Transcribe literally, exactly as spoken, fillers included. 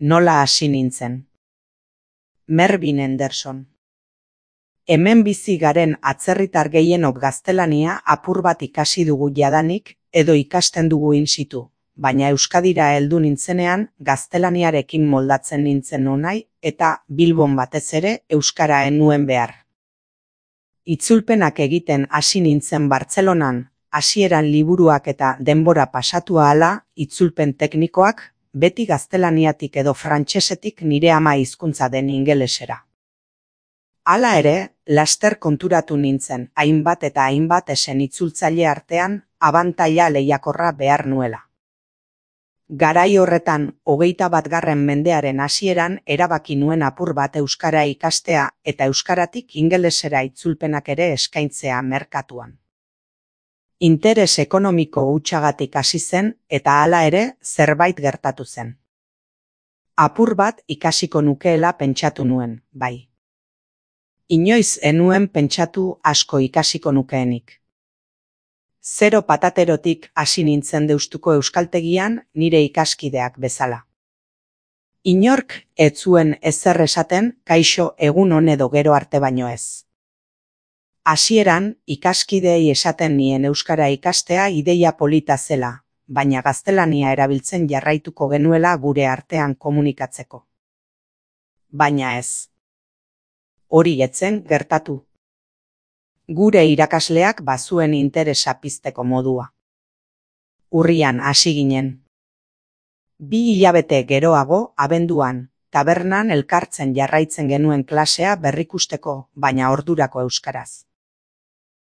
Nola hasi nintzen. Mervyn Henderson. Hemen bizi garen atzerritar gehienok gaztelania apur bat ikasi dugu jadanik edo ikasten dugu in situ, baina Euskadira heldu nintzenean gaztelaniarekin moldatzen nintzen nonai eta Bilbon batez ere euskara ez nuen behar. Itzulpenak egiten hasi nintzen Bartzelonan, hasieran liburuak eta denbora pasatu ahala, itzulpen teknikoak, beti gaztelaniatik edo frantsesetik nire ama hizkuntza den ingelesera. Hala ere, laster konturatu nintzen, hainbat eta hainbat esen itzultzaile artean, abantaila lehiakorra behar nuela. Garai horretan, hogeita batgarren mendearen hasieran erabaki nuen apur bat euskara ikastea eta euskaratik ingelesera itzulpenak ere eskaintzea merkatuan. Interes ekonomiko hutsagatik hasi zen eta hala ere zerbait gertatu zen. Apur bat ikasiko nukeela pentsatu nuen, bai. Inoiz enuen pentsatu asko ikasiko nukeenik. Zero pataterotik hasi nintzen Deustuko euskaltegian nire ikaskideak bezala. Inork ez zuen ezer esaten kaixo egun on edo gero arte baino ez. Hasieran ikaskideei esaten nien euskara ikastea ideia polita zela, baina gaztelania erabiltzen jarraituko genuela gure artean komunikatzeko. Baina ez. Hori etzen gertatu. Gure irakasleak bazuen interesa pizteko modua. Urrian hasi ginen. Bi hilabete geroago, abenduan, tabernan elkartzen jarraitzen genuen klasea berrikusteko, baina ordurako euskaraz.